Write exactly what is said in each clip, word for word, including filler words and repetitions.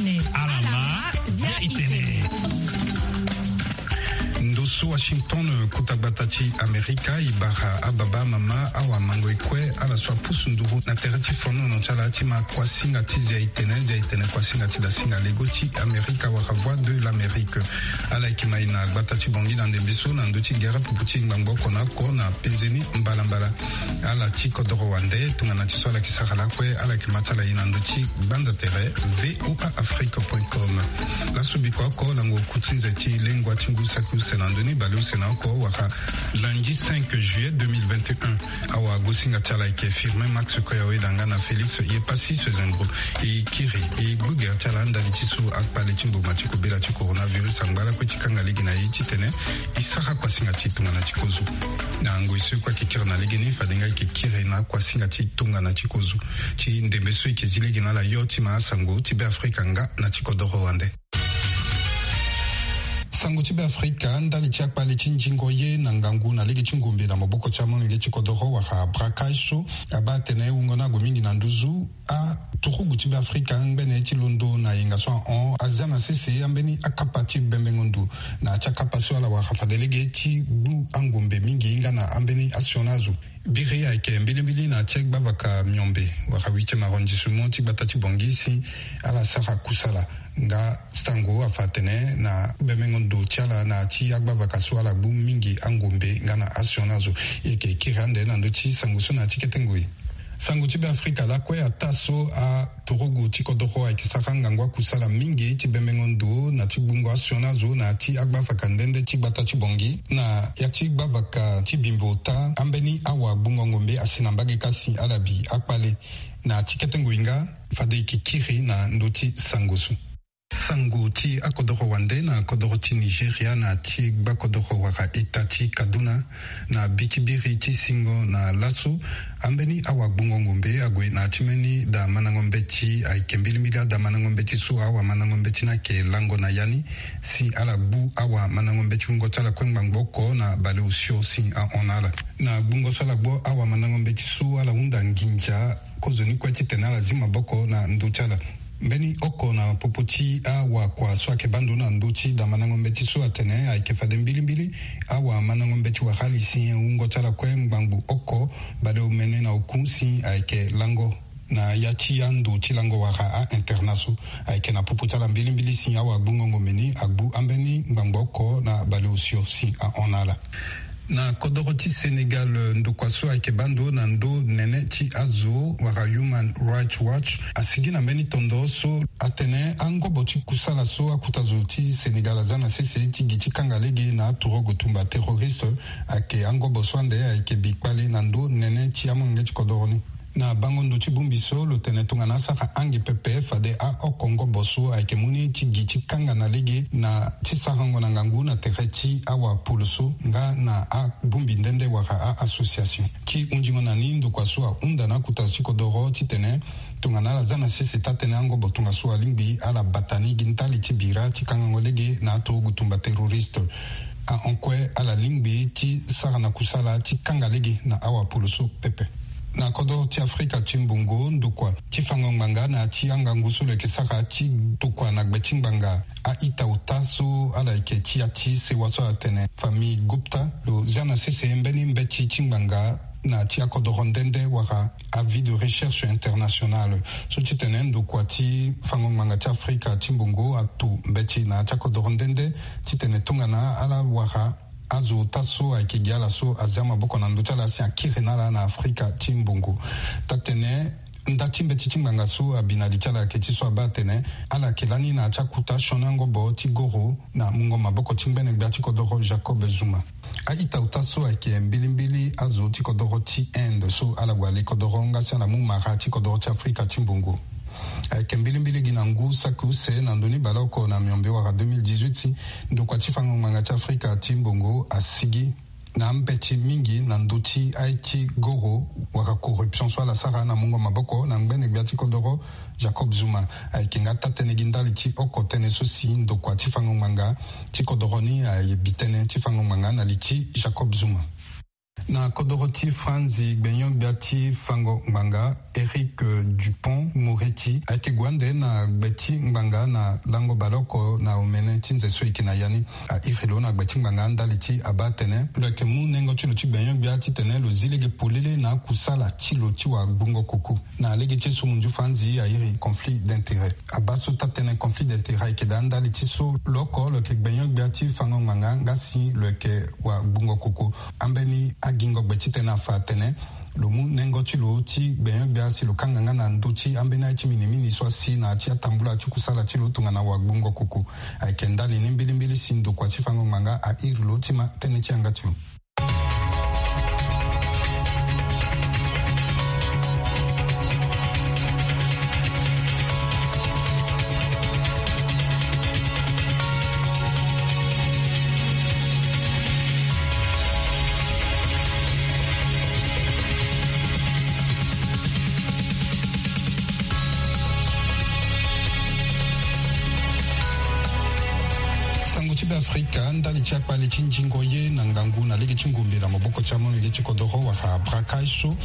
Alama, ya itene. Ndo so Washington, kota gbata ti Amerika, e bara ababa, amama, awamango, e kue ala so apusu nduru na tere ti fonono ti ala ti ma kuasinga ti zia itene, zia itene kuasinga ti dasinga lego ti Amerika wala Voix de l'Amérique. Ala yeke ma e na gbata ti Bangui na ndembe so na ndö ti gere pupu ti ngbangbo oko na oko na penze ni mbalambala. Ala ti kodoro wande, tongana ti so ala yeke sara lakue, ala yeke ma ti ala e na ndö ti gbanda tere V O A Afrique point com. Laso bikua oko lango ku ti nze ti lengua ti ngu saki use na ndö ni baleuse na oko wala lundi cinq juillet deux mille vingt et un. Awagosinga ti ala ayeke Firmin Max Koyaweda nga na Félix Yepassis Sezengro. E kiri e gbu gere ti ala ndali ti so akpale ti mboma ti kobela ti coronavirus angba lakue ti kanga lege na e titene e sara kuasinga ti tongana ti kozo. Na ngoi so e kue ayeke kiri na legeni, fade nga e yeke kiri na kuasinga ti tongana ti kozo ti ndembe so e yeke zi lege na ala yo ti ma asango ti Beafrika nga na ti kodoro wande. Sango ti Beafrika, ndali ti akpale ti nzingo ye na ngangu na lege ti ngombe na maboko ti amolenge ti kodoro wala braquage so abaa atene wungo ni ague mingi na nduzu aturugu ti Beafrika ngbene ti londo na yenga so ahon azia na sese ambeni akapa ti bembengo ndo na ya ti akapa so ala wara fade lege ti gbu angombe mingi nga na ambeni asioni azo. Biri ayeke mbilimbili na ti gbavaka miombe wala huitième arrondissement ti gbata ti Bangui si ala sara kusala nga sango afa atene na bemengo ndo ti ala na ti agbavaka so ala gbu mingi angombe nga na asioni azo. E yeke kiri ande na ndö ti sango so na ti kete ngoi. Sango ti Beafrika lakue ataa so a turugu ti kodoro ayeke sara ngangu akusala mingi ti bemengo ndo na ti gbungo asioni azo na ya ti agbavaka nde nde ti gbata ti Bangui na ya ti gbavaka ti bimbo ota ambeni awagbungo ngombe asi na mbage kasi ala bi akpale. Na ya ti kete ngoi nga fade e yeke kiri na ndö ti sango so. Sango ti akodoro wande na kodoro ti Nigeria na ti gbakodoro wala eta ti Kaduna, na bi ti biri ti singo na laso ambeni awagbungo ngombe ague na ti mbeni damandango mbeti. Ayeke mbilimbili adamandango mbeti so awamandango mbeti ni ayeke lango na ya ni si ala gbu awamandango mbeti wungo ti ala kue ngbangbo oko na baleosio si ahon na ala. Na gbungo so ala gbu awamandango mbeti so ala hunda nginza kozoni kue titene ala zi maboko na ndö ti ala. Mbeni oko na popo ti awakua so ayeke baa ndo na ndö ti damandango mbeti so atene ayeke fade mbilimbili awamandango mbeti wala ali si wungo ti ala kue ngbangbo oko baleomene na oku si ayeke lango na ya ti ando ti lango wala a-internat so. Ayeke na popo ti ala mbilimbili si awagbungo ngombe ni agbu ambeni ngbangbo oko na baleosio si ahon na ala. Na kodoro ti Sénégal, ndokua so ayeke baa ndo na ndo nene ti azo wala Human Rights Watch asigi na mbeni tondo so atene angobo ti kusala so akuta zo ti Sénégal aza na sese ti gi ti kanga lege na aturugu tumba terroriste ayeke angobo so ande ayeke bi kpale na ndo nene ti amolenge ti kodoro ni. Na bango ndo ti bongbi so lo tene tongana asara ange pepe fade aoko ngobo so ayeke mu ni ti gi ti kanga na lege na ti sarango na ngangu na tere ti awapolo so nga na abongbi nde nde wala a-association. Ti hunzingo na ni ndokua so ahunda na akuta ti kodoro titene tongana ala za na sese taa-tënë angobo tongaso alingbi ala bata ni gi ndali ti bira ti kangango lege na aturugu tumba terroriste. Ahon kue ala lingbi ti sara na kusala ti kanga lege na awapolo so pepe. Na kodro ti Afrika ti mbongo, ndokua ti fango ngbanga na ya ti angangu so lo yeke sara ti tokua na gbe ti ngbanga a-ita ota so ala yeke ti ya ti sewa so atene famille Gupta lo zia na sese mbeni mbeti ti ngbanga na ya ti akodoro nde nde wala avis de recherche internationale so titene ndokua ti fango ngbanga ti Afrika ti mbongo ato mbeti na ya ti akodoro nde nde titene tongana ala wara azo ota so ayeke gi ala so azia maboko na ndö ti ala si akiri na ala na Afrika ti mbongo. Taa-tënë nda ti mbeti ti ngbanga so abi na li ti ala ayeke ti so abaa atene ala yeke lani na ya ti akuta sioni angobo ti goro na mungo maboko ti ngbene gbia ti kodoro Jacob Zuma. A-ita ota so ayeke mbilimbili azo ti kodoro ti Inde so ala gue ali kodoro nga si ala mu mara ti kodoro ti Afrika ti mbongo. Ayeke mbilimbili gi na ngu saki use na ndö ni baleoko na miombe wala deux mille dix-huit, ndokua ti fango ngbanga ti Afrika ti mbongo asigi na ambeti mingi na ndö ti aye ti goro wala corruption so ala sara na mungo maboko na ngbene gbia ti kodoro Jacob Zuma. Ayeke nga taa-tënë gi ndali ti oko tënë so si ndokua ti fango ngbanga ti kodoro ni aye bi tënë ti fango ngbanga na li ti Jacob Zuma. Na kodoro ti Franzi, gbenyo-gbia ti fango ngbanga, Éric Dupond-Moretti, ayeke gue ande na gbe ti ngbanga na lango baleoko na omene ti nze so e yeke na ya ni. A iri lo na gbe ti ngbanga ndali ti abaa atene lo yeke mu nengo ti lo ti gbenyo-gbia titene lo zi lege polele na akusala ti lo ti wagbungo koko. Na lege ti e so munzu Franzi a iri conflit d'intérêt. Abaa so taa-tënë conflit d'intérêt ayeke daa ndali ti so lo oko lo yeke gbenyo-gbia ti fango ngbanga nga si lo yeke wagbungo koko. Ambeni agingo gbe titene afa atene lo mu nengo ti lo ti gbenyo-gbia si lo kanga nga na ndö ti ambeni aye ti minimini so asi na ya ti atambula ti kusala ti lo tongana wagbungo koko. Ayeke ndali ni mbilimbili si ndokua ti fango ngbanga a iri lo ti ma tënë ti yanga ti lo. Sango ti Beafrika, ndali ti akpale ti nzingo ye na ngangu na lege ti ngombe na maboko ti amolenge ti kodoro wala braquage so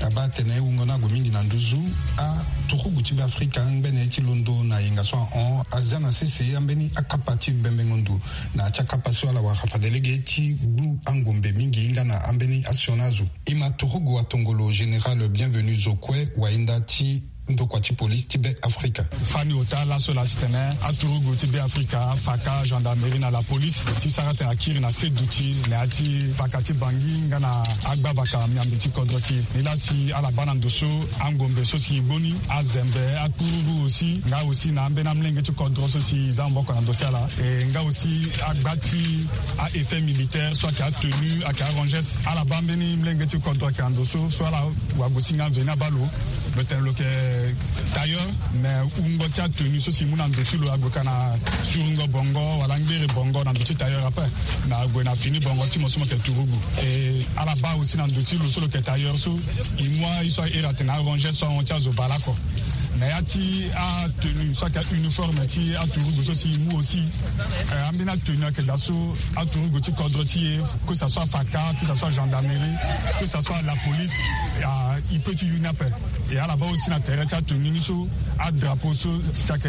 abaa atene wungo ni ague mingi na nduzu. Aturugu ti Beafrika ngbene ti londo na yenga so ahon azia na sese ambeni akapa ti bembengo ndo na ya ti akapa so ala wara fade lege ti gbu angombe mingi nga na ambeni asioni azo. E ma turugu atongolo général Bienvenu Zokwe, wahinda ti ndokua ti polisi ti Be Afrika. Fani ota laso laa titene aturugu ti Be Afrika afaka gendarmerie na la police ti sara tene akiri na se duti na ya ti faka ti Bangui nga na agbavaka miambe ti kodro ti e. Nilaa si ala baa na ndo so angombe so si e gbu ni, azembe, akururu aussi, nga aussi na ambeni amolenge ti kodro so si e za maboko na ndo ti ala, e nga aussi agba ti a-effet militaire so ayeke atenue, ayeke aranges. Ala baa mbeni molenge ti kodro ayeke na ndo so, so ala wagosinga mveni abaa lo. Lo tene lo yeke tailleur, mais wungo ti atenue so si e mu na ndo ti lo ague ka na surungo bongo wala ngbere bongo na ndo ti tailleur ape. Mais ague na fini bongo ti mo so mo yeke turugu. E ala baa aussi na ndo ti lo so lo yeke tailleur so, e mu aye so a iri atene aranges so ahon ti azo bale oko. Na ya ti atenue so ayeke uniforme ti aturugu so si e mu aussi, eh, ambeni atenue ayeke daa so aturugu ti kodro ti e, que ça soit faka, que ça soit gendarmerie, que ça soit la police, ah, e peut ti yu ni ape. E ala baa aussi na tere ti atenue ni so, adrapeau so si ayeke,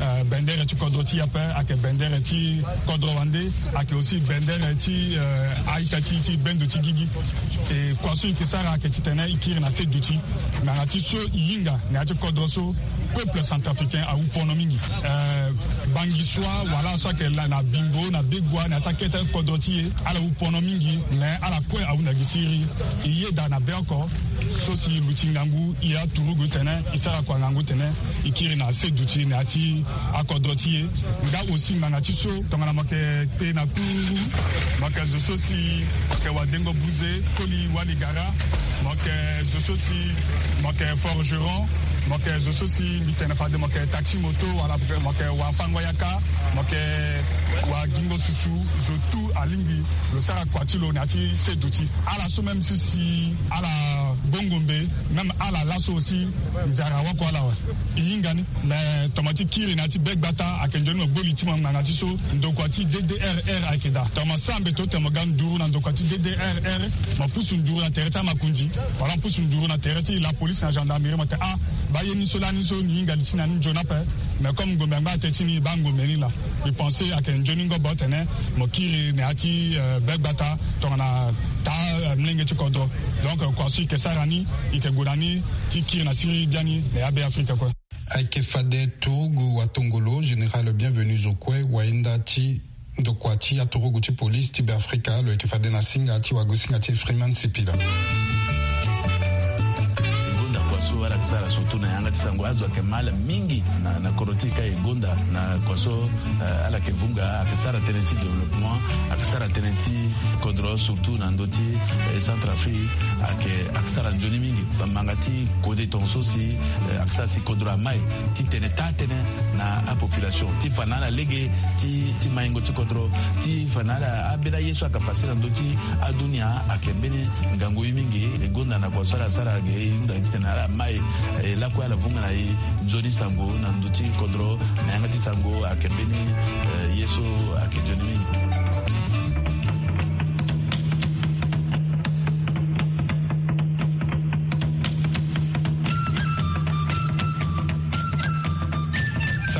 eh, bendere ti kodro ti e ape, ayeke bendere ti kodro wande, ayeke aussi bendere ti, eh, a-ita ti, ti bendo ti gigi. E kua so e yeke sara ayeke titene e kiri na se duti. Ngbanga ti so e hinga na ya ti kodro so, peuple centrafricain awu pono mingi. Eh, Bangisua wala so ayeke na, na Bimbo, na Begoua, na ya ti akete kodro ti e, ala wu pono mingi, mais ala kue ahunda gi siriri. E yeda na be oko so si e luti ngangu, e aturugu titene e sara kua ngangu titene e kiri na se duti na ya ti akodro ti e. Nga aussi ngbanga ti so tongana mo yeke kpe na kururu, mo yeke zo so si mo yeke wadengo buze, koli wali gara, mo yeke zo so si mo yeke forgeron, mo yeke zo so si mbi tene fade mo yeke taxi moto wala mo yeke wafango yaka, mo yeke wagingo susu, zo tout alingbi lo sara kua ti lo na ya ti se duti. Ala so même si, si ala bongo mbe, même ala laso aussi, nzara wako ala awe. E hinga ni. Mais tongana ti kiri na ya ti be gbata ayeke nzoni mo gbo li ti mo ngbanga ti so ndokua ti D D R R ayeke daa. Tongana mo sara mbeto tene mo ga nduru na ndokua ti D D R R, mo pusu nduru na tere ti amakonzi, wala mo pusu nduru na tere ti la police na gendarmerie, mo tene ah, baa ye ni so lani so ni hinga li ti ni na ni nzoni ape. Mais comme ngombe angba ate ti ni, baa ngombe ni laa. Mbi pense ayeke nzoni ngobo tene mo kiri na ya ti, eh, be gbata tongana taa, eh, molenge ti kodro. Donc, eh, kua so e yeke sara ni, e yeke gue na ni ti kiri na siriri biani na ya Be Afrika kue. Ayeke fade turugu watongolo, général Bienvenu Zokwe, wahinda ti ndokua ti aturugu ti police ti Be Afrika, lo yeke fade na singa ti wagosinga ti Freeman Sipila. E gonda kua so ala yeke sara surtout na yanga ti sango, azo ayeke mal mingi na, na kodro ti e ka e gonda na kua so, eh, ala yeke vunga, ayeke sara tënë ti développement, ayeke sara tënë ti kodro surtout na ndö ti, eh, Centrafrique, ayeke, ayeke sara nzoni mingi. Bamanga ti kode tongaso si, eh, ayeke sara si kodro amai ti tene taa tënë na apopulation ti fa na ala lege ti, ti maingo ti kodro, ti fa na ala ambeni aye so ayeke pase na ndö ti adunia ayeke mbeni ngangu ye mingi. E gonda na kua so ala sara ge, e hunda gi titene ala mai, e lakue ala vunga na e nzoni sango na ndö ti kodro na yanga ti sango ayeke mbeni, eh, ye so ayeke nzoni mingi.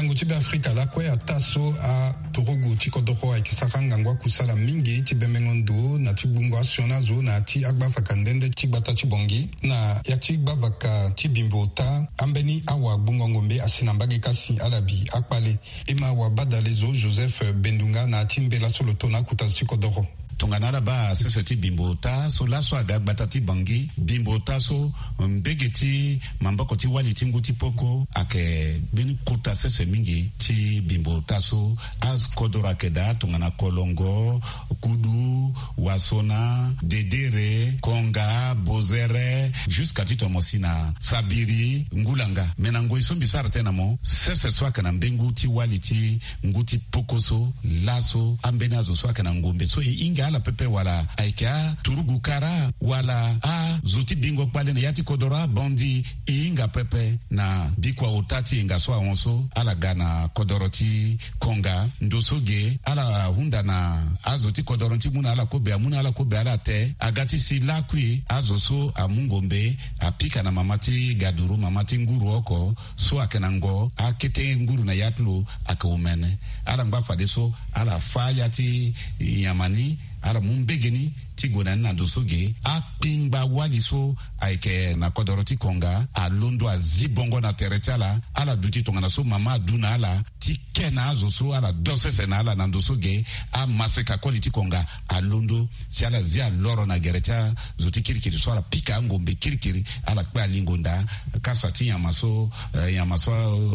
Ngu ti Beafrika lakue ataa so aturugu ti kodoro ayeke sara ngangu akusala mingi ti bembengo ndo na ti gbungo asioni azo na ya ti agbavaka nde nde ti gbata ti Bangui na ya ti gbavaka ti Bimbo Ota. Ambeni awa gbungo ngombe asi na mbage kasi ala bi akpale. E ma wabadale zo Joseph Bendunga na ya ti mbela so lo to na akuta zo ti kodoro. Tongana ala baa sese ti Bimbo Ota so laso aga gbata ti Bangui, Bimbo Ota so mbege ti maboko ti wali ti ngu ti poko ayeke mbeni kota sese mingi ti Bimbo Ota so akodoro ayeke daa tongana Kolongo, Kudu, Wasona, Dedere, Konga, Bozere, jusqu'à ti tomo si na Sabiri, Ngulanga. Me na ngoi so mbi sara tënë na mo, sese so ayeke na mbengu ti wali ti ngu ti poko so laso ambeni azo so ayeke na ngombe so e hinga ala pepe wala ayeke aturugu kara wala azo ti bingo kpale na ya ti kodoro abandi e hinga pepe na bikua ota ti yenga so ahon so ala ga na kodoro ti Konga. Ndo so ge ala hunda na azo ti kodoro ni ti mu na ala kobe, amu na ala kobe ala te. Aga ti si lakui azo so amu ngombe apika na mama ti gaduru, mama ti nguru oko so ayeke na ngo akete nguru na ya ti lo ayeke omene. Ala ngba fadeso ala fâ ya ti nyama ni, ala mu mbege ni ti gue na ni na ndo so ge. Akpingba wali so ayeke na kodoro ti Konga alondo azi bongo na tere ti ala. Ala duti tongana so mama adu na ala ti ke na azo so ala do sese na ala na ndo so ge. Amaseka koli ti Konga alondo si ala zi aloro na gere ti azo ti kirikiri so ala pika angombe kirikiri, ala kpe alingo nda kasa ti nyama so, eh, nyama so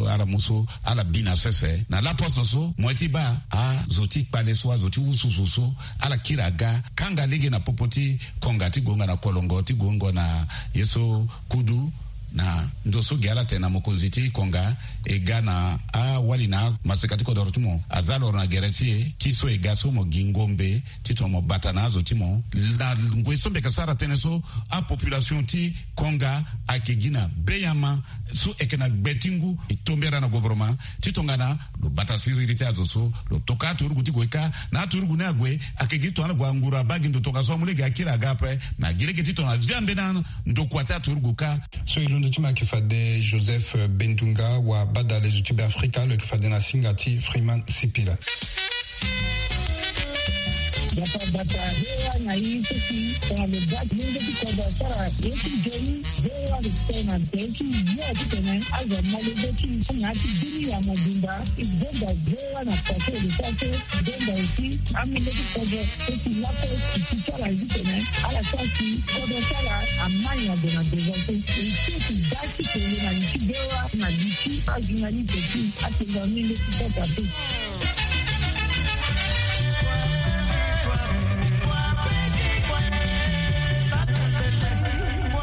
ala mu so ala bi na sese. Na laposo so mo ye ti baa azo ti kpale so, azo ti wususu so ala kiri aga kanga lege na popo ti Konga ti gonga na Kolongo ti gonga na ye so Kudu. Na ndo so ge ala tene na mokonzi ti Konga e ga na awali na amaseka ti kodoro ti mo aza loro na gere ti e ti so e ga so mo gi ngombe titene mo bata na azo ti mo. Na ngoi so mbi yeke sara tënë so, apopulation ti Konga ayeke gi na beyama so e yeke na gbe ti ngu. E tombera na gouvernement ti tongana lo bata siriri ti azo so, lo toka aturugu ti gue kâ. Na aturugu ni ague ayeke gi tongana gue anguru abaa gi ndo tongaso amu lege akiri aga ape. Me agi lege titene azia mbeni andokua ti aturugu kâ. So e londo ti me ayeke fade Joseph Bendunga, wabadale zo ti Beafrika, lo yeke fade na singa ti Freeman Sipila. Bata bata, hewa na ye so si tongana lo baa ti lenge ti kodro asara ye ti nzoni. Hewa lo tene na tere ti yo titene azo amolenge ti na ya ti bini ya mobimba. E zonza hewa na pase lo sara so zonza aussi amolenge ti kodro so si laso e ti ti ala ye titene ala sara si kodro ti ala amai na gue na devant so. E so e ti baa ti tene na li ti hewa na li ti ajournaliste ti atenga menge ti kota so.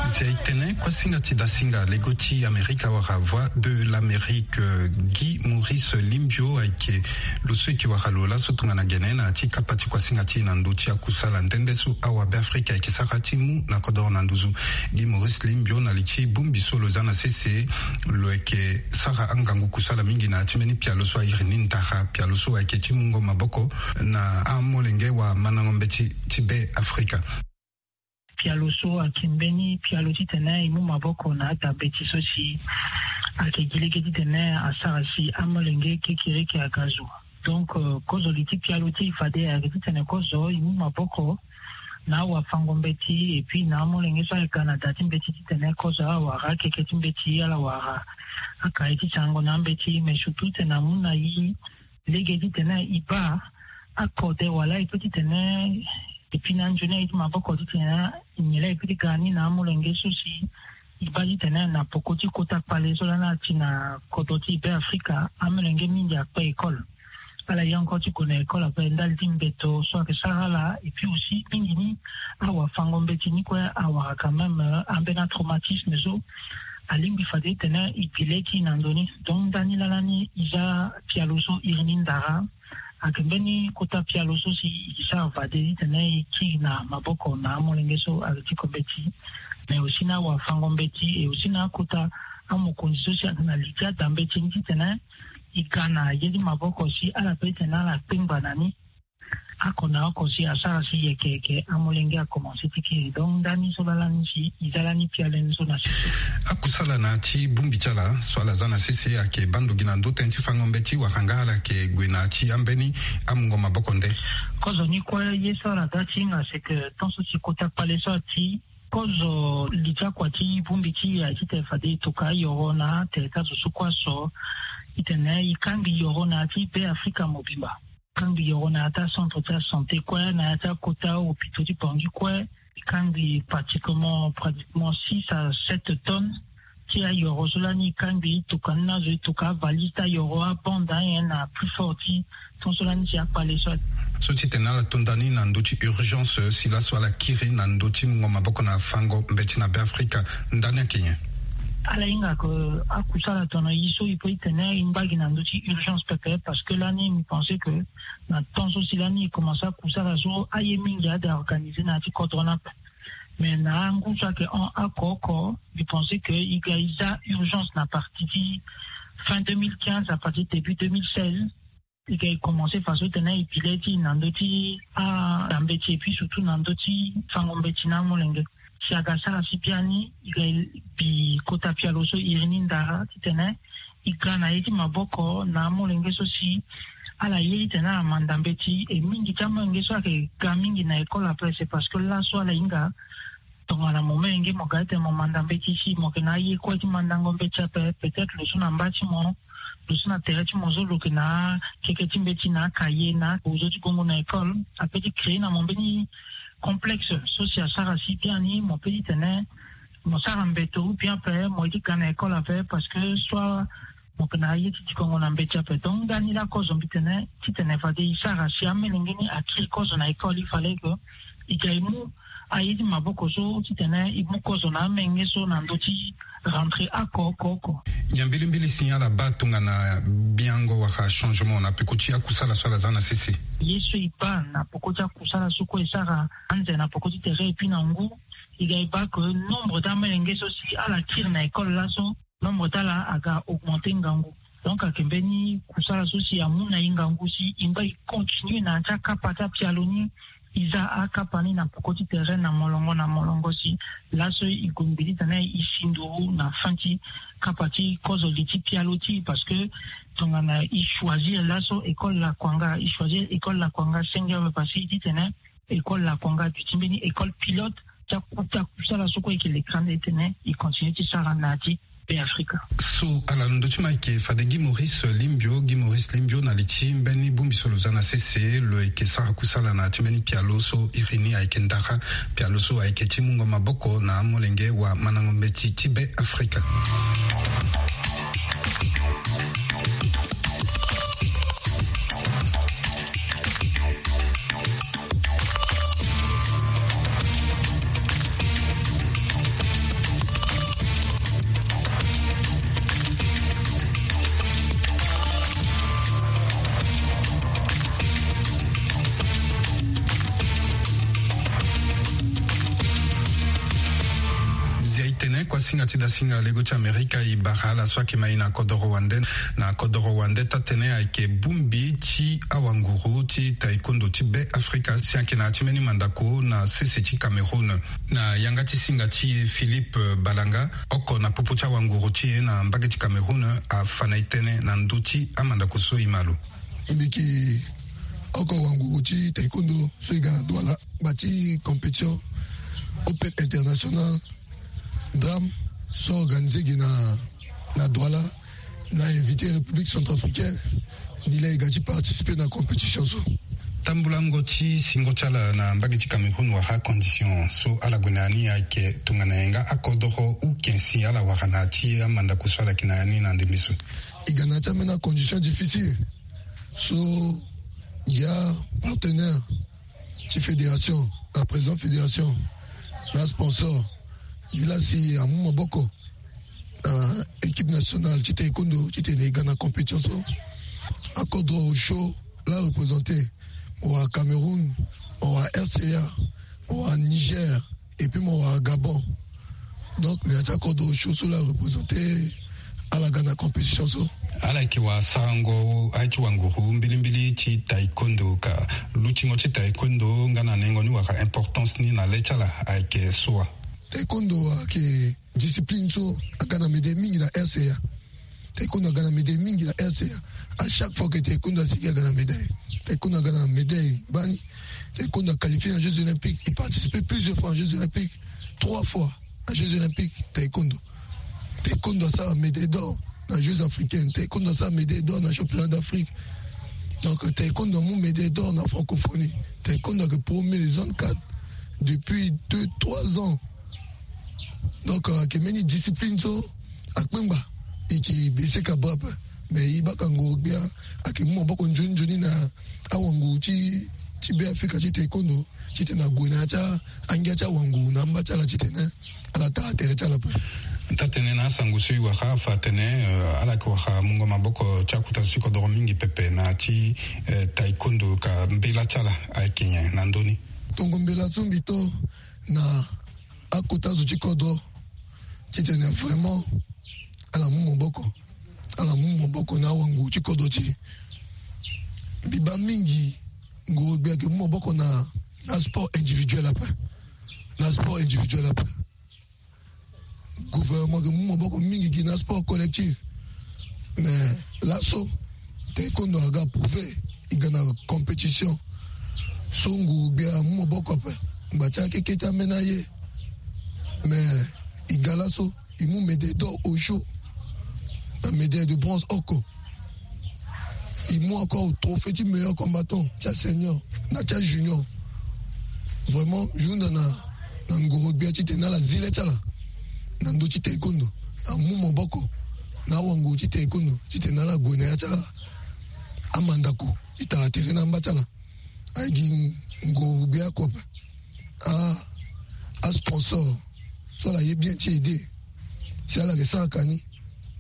Si aye tene kuasinga ti dasinga lego ti Amerika wala Voix de l'Amérique, euh, Guy Maurice Limbio ayeke lo so e yeke wara lo laso tongana gene na ya ti kapa ti kuasinga ti e na ndö ti akusala nde nde so awabeafrika ayeke sara ti mu na kodoro na nduzu. Guy Maurice Limbio na li ti bongbi so lo za na sese, lo yeke sara angangu kusala mingi na ya ti mbeni pialo so a iri ni ndara, pialo so ayeke ti mungo maboko na amolenge wala mandango mbeti ti Beafrika. Pialo so ayeke mbeni pialo titene e mu maboko na ada mbeti so si ayeke gi lege titene asara si amolenge kekereke aga zo. Donc, euh, kozo li ti pialo ti e fade ayeke titene kozo e mu maboko na awafango mbeti, et puis na amolenge so ayeke ga na da ti mbeti titene kozo awara akeke ti mbeti, ala wara akaye ti sango na ambeti, mais surtout titene amu na e lege titene e baa akode wala e peut titene e pi na nzoni aye ti maboko titene e nyen laa e peut ti ga ni na amolenge so si e baa titene na poko ti kota kpale so lani ati na kodro ti Beafrika, amolenge mingi akpe école. Ala ye encore ti gue na école ape ndali ti mbeto so ayeke sara ala, et puis aussi mingi ni awafango mbeti ni kue awara quand même, euh, ambeni atraumatisme so alingbi fade titene e bi lege ti e na ndo ni. Donc ndani lala ni e za pialo so iri ni ndara. Ayeke mbeni kota pialo so si e sara fade titene e kiri na maboko na amolenge so ayeke ti ko mbeti, mais aussi na awafango mbeti, et aussi na akota amokonzi so si ayeke na li ti ada mbeti ni titene e ga na ye ti maboko si ala peut titene ala kpengba na ni. Oko na oko si asara si yeke yeke amolenge akomanse ti kiri. Donc ndani so laa lani si e za lani pialo ni so na sese. Akusala na ya ti bongbi ti ala so ala za na sese ayeke baa ndo gi na ndö tënë ti fango mbeti wala nga ala yeke gue na ya ti ambeni amungo maboko nde. Kozo ni kue ye so ala ga ti hinga c'est que tant so si kota kpale so ati kozo li ti akua ti bongbi ti e aye titene fade e toka ayoro na tere ti azo so kue aso titene e kangbi yoro na ya ti Be Afrika mobimba. Kangbi yoro na ya ti acentre ti asanté kue na ya ti akota hôpitaux ti Bangui kue. E kangbi pratiquement pratiquement six à sept tonnes ti ayoro so lani e kangbi e toka ni na azo e toka avalise ti ayoro abande anyen na plus fort ti ton so lani si akpale so. So titene ala to nda ni na ndö ti urgence si laso ala kiri na ndö ti mungo maboko na fango mbeti na Be Afrika. Ndani ayeke nyen? Ala hinga ke akusala tongana e so e peut e tene e ngba gi na ndö ti urgence pepe parce que lani mbi pense ke na temps so si lani e commence akusala so aye mingi ade a organiser na ya ti kodro ni ape. Mais na angu so ayeke hon oko oko mbi pense ke e ga e za urgence na partie ti fin deux mille quinze à partir début deux mille seize. E ga e commence faso titene e bi le ti e na ndö ti anda mbeti et puis surtout na ndö ti fango mbeti na amolenge. Si aga sara si biani e ga e bi kota pialo so iri ni ndara titene e ga na ye ti maboko na amolenge so si ala ye titene ala manda mbeti. E mingi ti amolenge so ayeke ga mingi na école ape c'est parce que laso ala hinga tongana mo molenge mo ga titene mo manda mbeti si mo yeke na aye kue ti mandango mbeti ape, peut-être lo so na mba ti mo, lo so na tere ti mo so lo yeke na akeke ti mbeti na akaye na akozo ti gongo na école ape ti créer na mo mbeni complexe so si asara si biani mo peut titene mo sara mbeto ou bien ape mo ye ti ga na école ape parce que soit mo yeke na aye ti dikongo na mbeti ape. Donc ndani laa kozo mbi tene titene fade e sara si amolenge ni akiri kozo na école il fallait que e ga e mu aye ti maboko so titene e mu kozo na amolenge so na ndö ti rentrée oko oko oko. Nyen mbilimbili si ala baa tongana biango wala changement na peko ti akusala so ala za na sese? Ye so e baa na peko ti akusala so kue e sara anze na peko ti tere et puis na ngu e ga e baa ke nombre ti amolenge so si ala kiri na école laso nombre ti ala aga augmenter ngangu. Donc ayeke mbeni kusala so si amu na e ngangu si e ngba e continue na ya ti akapa ti apialo ni. E za akapa ni na peko ti tere na molongo na molongo si laso e gue mbi titene e si nduru na fin ti kapa ti kozo li ti pialo ti e parce que tongana e choisir laso école lakuanga e choisir école lakuanga senge awe parce que e titene école lakuanga duti mbeni école pilote ti akuta kusala so kue e yeke lekra nde titene e continue ti sara na ya ti Be Afrika. So ala londo ti ma ayeke fade Guy Maurice Limbio. Guy Maurice Limbio na li ti mbeni bongbi so lo za na sese lo yeke sara kusala na ya ti mbeni pialo so iri ni ayeke ndara pialo so ayeke ti mungo maboko na amolenge wala mandango mbeti ti Be Afrika. Zia e tene kuasinga ti dasinga lego ti Amerika e bara ala so ayeke ma e na kodoro wande. Na kodoro wande taa-tënë ayeke bongbi ti awanguru ti taekwondo ti Be Afrika si ayeke na ya ti mbeni mandako na sese ti Cameroun. Na yanga ti singa ti e Philippe Balanga, oko na popo ti awanguru ti e na mbage ti Cameroun, afa na e tënë na ndö ti amandako so e ma lo. Mbi yeke oko wanguru ti taekwondo so e ga na Douala, ngba ti compétition Open International Drum so organisé gi na, na Douala, na invité République centrafricaine. Ni laa e ga ti participer na compétition so. Tambulango ti singo ti ala na mbage ti Cameroun wala condition so ala gue na ya ni ayeke tongana nyen nga akodoro ou ken si ala wara na ya ti amandako so ala yeke na ya ni na ndembe so? E ga na ya ti ambeni acondition difficile. So ngia partenaire ti fédération, na président fédération, na sponsor, ngi laa si amu maboko na équipe nationale ti taekwondo titene e ga na compétition so. Akodro osio laa représenté, mo wara Cameroun, mo wara R C A, mo wara Niger, et puis mo wara Gabon. Donc na ya ti akodro osio so laa représenté ala ga na compétition so. Ala yeke wara sarango aye ti wanguru mbilimbili ti taekwondo ka lutingo ti taekwondo nga na nengo ni wala importance ni na le ti ala ayeke so wa? Taekwondo ayeke discipline so aga na médaille mingi na R C A. Taekwondo aga na médaille mingi na R C A. À chaque fois que taekwondo asigi aga na médaille. Taekwondo aga na médaille bani. Taekwondo a qualifié na Jeux Olympiques. Il participait plusieurs fois en Jeux Olympiques. Trois fois en Jeux Olympiques. Taekwondo. Taekwondo asara médaille d'or na Jeux Africaines. Taekwondo asara médaille d'or na Championnat d'Afrique. Donc taekwondo amu médaille d'or na francophonie. Taekwondo ayeke premier zone quatre depuis deux trois ans. Donc ayeke mbeni discipline so akpengba. E ke bese ka bra ape. Mais e baka ngoro gbia ayeke mu maboko nzoni nzoni na awangu ti ti Be Afrika ti taekwondo titene ague na ya ti angia ti awangu na amba ti ala titene ala tara tere ti ala ape. Taa-tënë, na asango so e wara afa atene ala yeke wara mungo maboko ti akota zo ti kodoro mingi pepe na ya ti taekwondo ka mbela ti ala ayeke nyen na ndö ni? Tongo mbela so mbi to na akota zo ti kodro titene vraiment ala mu maboko, ala mu maboko na awangu ti kodro ti e. Mbi baa mingi ngoro gbia ayeke mu maboko na na sport individuel ape. Na sport individuel ape. Gouvernement ayeke mu maboko mingi gi na sport collectif. Mais laso taekwondo aga prouvé e ga na compétition so nguru gbia amu maboko ape. Ngba ti akeke ti ambeni aye. Mais e ga laso e mu médaille d'or osio na médaille de bronze oko. E mu encore trophée ti meilleur combattant ti asenior na ti ajunior. Vraiment e hunda na na ngoro gbia titene ala zi le ti ala na ndö ti taekwondo. Amu maboko na awango ti taekwondo titene ala gue na ya ti amandako ti tara tere na amba ti ala. Aye gi ngoro gbia oko ape. Asponsor so ala ye bien ti aide si ala yeke sara ka ni.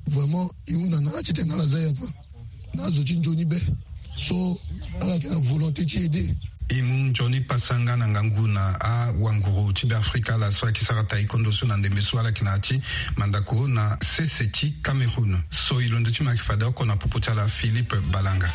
Vraiment e hunda na ala titene ala za ye ape. Na azo ti nzoni be so ala yeke na volonté ti aide. E mu nzoni pasa nga na ngangu na awanguru ti Beafrika ala so ayeke sara taekwondo so na ndembe so ala yeke na ya ti mandako na sese ti Cameroun. So e londo ti me ayeke fade oko na popo ti ala Philippe Balanga.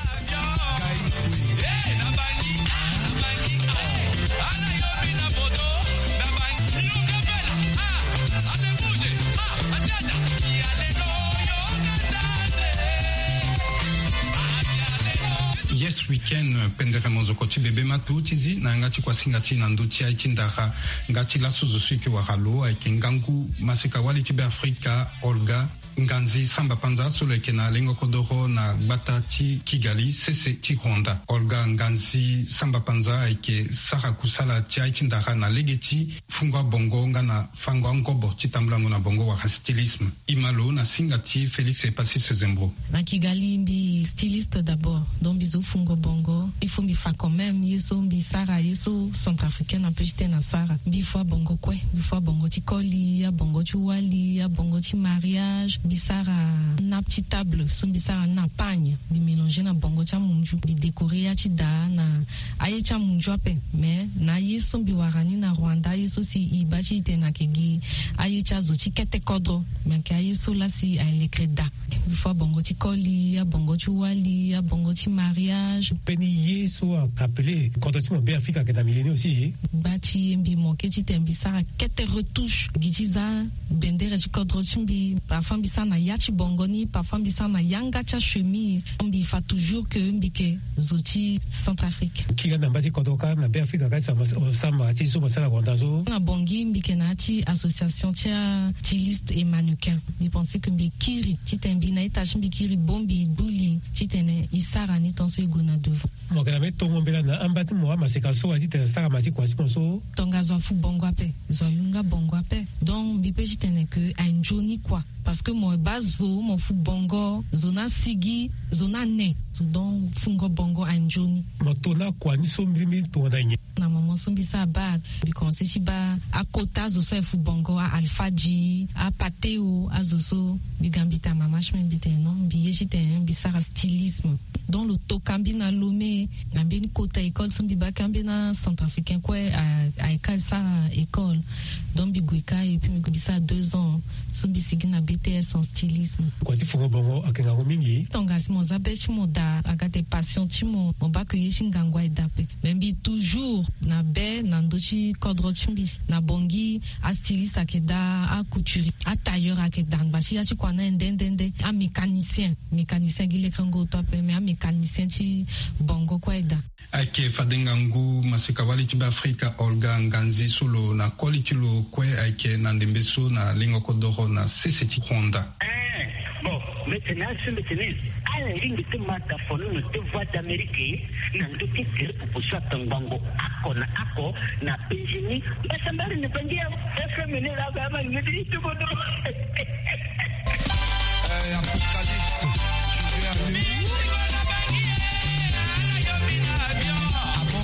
Yes weekend, pendere mozoko ti bebe matu ti zi na yanga ti kuasinga ti na ndö ti aye ti ndara. Nga ti laso zo so e yeke wara lo ayeke ngangu maseka wali ti Beafrika Olga Nganzi Samba Panza so lo yeke na lengo kodoro na gbata ti Kigali sese ti Rwanda. Olga Nganzi Samba Panza ayeke sara kusala ti aye ti ndara na lege ti fungo abongo nga na fango angobo ti tambulango na bongo wala stylisme. E ma lo na singa ti Félix Epasis Zembro. Na Kigali mbi styliste d'abord, donc mbi zo fungo bongo. Il faut mbi fa quand même ye so mbi sara ye so centrafricaine ape ti tene asara. Mbi fua bongo kue, mbi fua bongo ti koli, abongo ti wali, abongo ti mariage. Mbi sara nappe ti table so mbi sara na pagne, mbi mélanger na bongo ti amunzu, mbi décorer ya ti daa na aye ti amunzu ape. Mais na aye so mbi wara ni na Rwanda, aye so si e baa ti e tene ayeke gi aye ti azo ti kete kodro, me ayeke aye so laa si aye lekere daa. Mbi fua bongo ti koli, abongo ti wali, abongo ti mariage. Mbeni ye so ayeke appelé kodro ti mo Beafrika ayeke na milieu ni aussi. Gba ti e mbi manqué titene mbi sara kete retouche gi ti za bendere ti kodro ti mbi. Parfois mbi sara na ya ti bongo ni, parfois mbi sara na yanga ti achemise. Mbi fa toujours que mbi yeke zo ti Centrafrique. Kiri na mba ti kodro kâ na Beafrika kâ ti samba ti so mo sara na Rwanda so. Na Bangui mbi yeke na ya ti association ti astyliste et mannequin. Mbi pensé que mbi kiri titene mbi na ita ti mbi kiri bongbi, e gbu li titene e sara ni tant so e gue na devant. Mo yeke na mbeni tongo mbela na amba ti mo amaseka so wa titene asara ma ti kua ti mo so. Tonga zo afu bongo ape, zo ayunga bongo ape. Donc mbi pe titene que aye nzoni kua. Parce que mo baa zo mo fu bongo, zo ni asigi, zo ni ane. Zo donc fungo bongo aye nzoni. Mo to na kua ni so mbirimbiri tongana nyen? Na moment so mbi sara bac, mbi commencé ti baa akota zo so aye fu bongo, a Alpha Dji, a Pateo, azo so. Mbi ga mbi ta mama ti mbi, mbi tene non, mbi ye titene mbi sara stylisme. Donc lo toka mbi na Lomé, na mbeni kota école so mbi baka mbeni acentrafricain kue, ayeke ka sara école. Donc mbi gue ka, et puis mbi gue mbi sara deux ans so mbi sigi na B T S en stylisme. Kua ti foro bongo ayeke ngangu mingi. Tongana si mo za be ti mo daa, aga ate passion ti mo, mo baka ye ti ngangu aye daa ape. Mais mbi toujours na be na ndö ti kodro ti mbi. Na Bangui, astyliste ayeke daa, acouturier, atailleur ayeke daa, angba ti ya ti kua na nde nde nde. Amécanicien, mécanicien gi lekengo oto ape, mais amécanicien ti bongo kue aye daa. Ayeke fade ngangu maseka-wali ti Beafrika Olga Nganzi so lo na koli ti lo kue ayeke na ndembe so na lengo kodoro na sese ti Rwanda. Eh, bon, mbi tene asi, mbi tene ala lingbi ti ma dafono na te Voix d'Amérique na ndö ti gere popo so atongbango oko na oko na Benjini. Mbasambari na Bangi ya F M ni la ba ma ni ti kodoro. Eh, Apocalypse, tu veux aller où? Ah bon?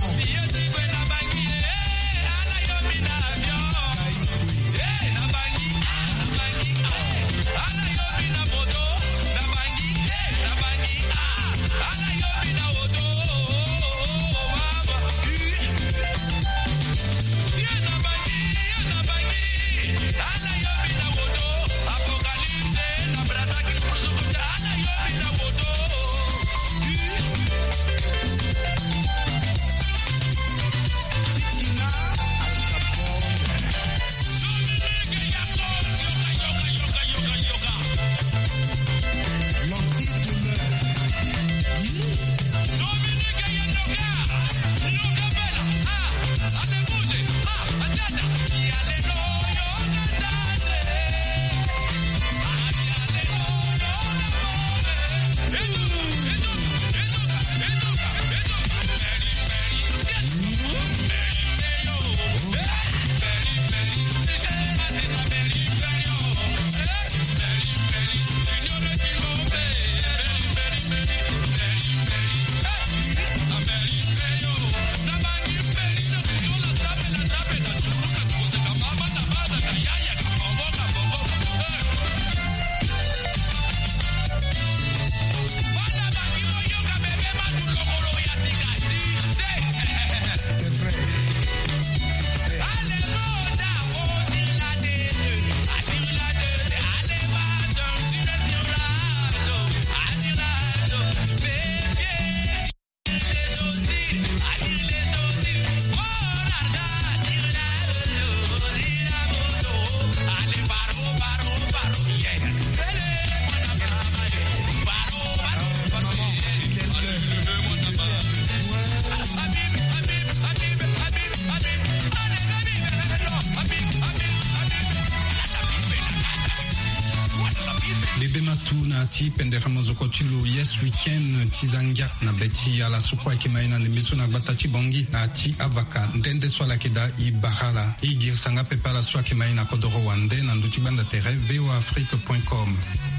Bebe matu na ti pendere mozoko ti lo Yes Weekend ti za ngia na be ti ala so kue ayeke ma ye na ndembe so na gbata ti Bangui na ti avaka nde nde so ala yeke daa e bara ala. E girisa nga pepe ala so ayeke ma ye na kodoro wande na ndö ti gbanda tere V O A Afrique point com.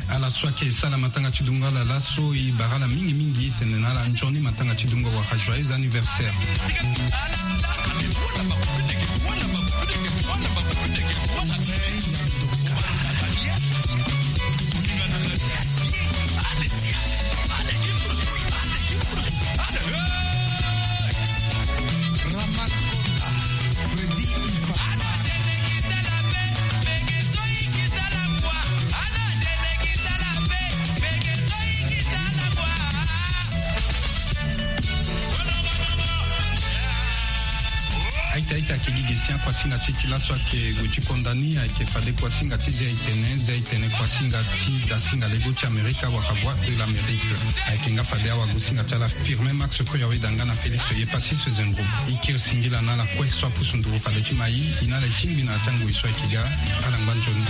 Ala so ayeke sara matanga ti dungo ala laso, e bara ala mingi mingi, e tene na ala nzoni matanga ti dungo wala joyeux anniversaire. Aita aita ayeke gi gi si akuasinga ti e ti laso ayeke gue ti konda ni, ayeke fade kuasinga ti zia etene, zia etene kuasinga ti dasinga lego ti Amerika wala Voix de l'Amérique. Ayeke nga fade awagosinga ti ala Firmin Max Koyaweda nga na Félix Yepassis Zengro. E kiri singila na ala kue so apusu nduru fade ti ma e, e na ala e tingbi na ya ti angoi so ayeke ga. Ala ngba nzoni.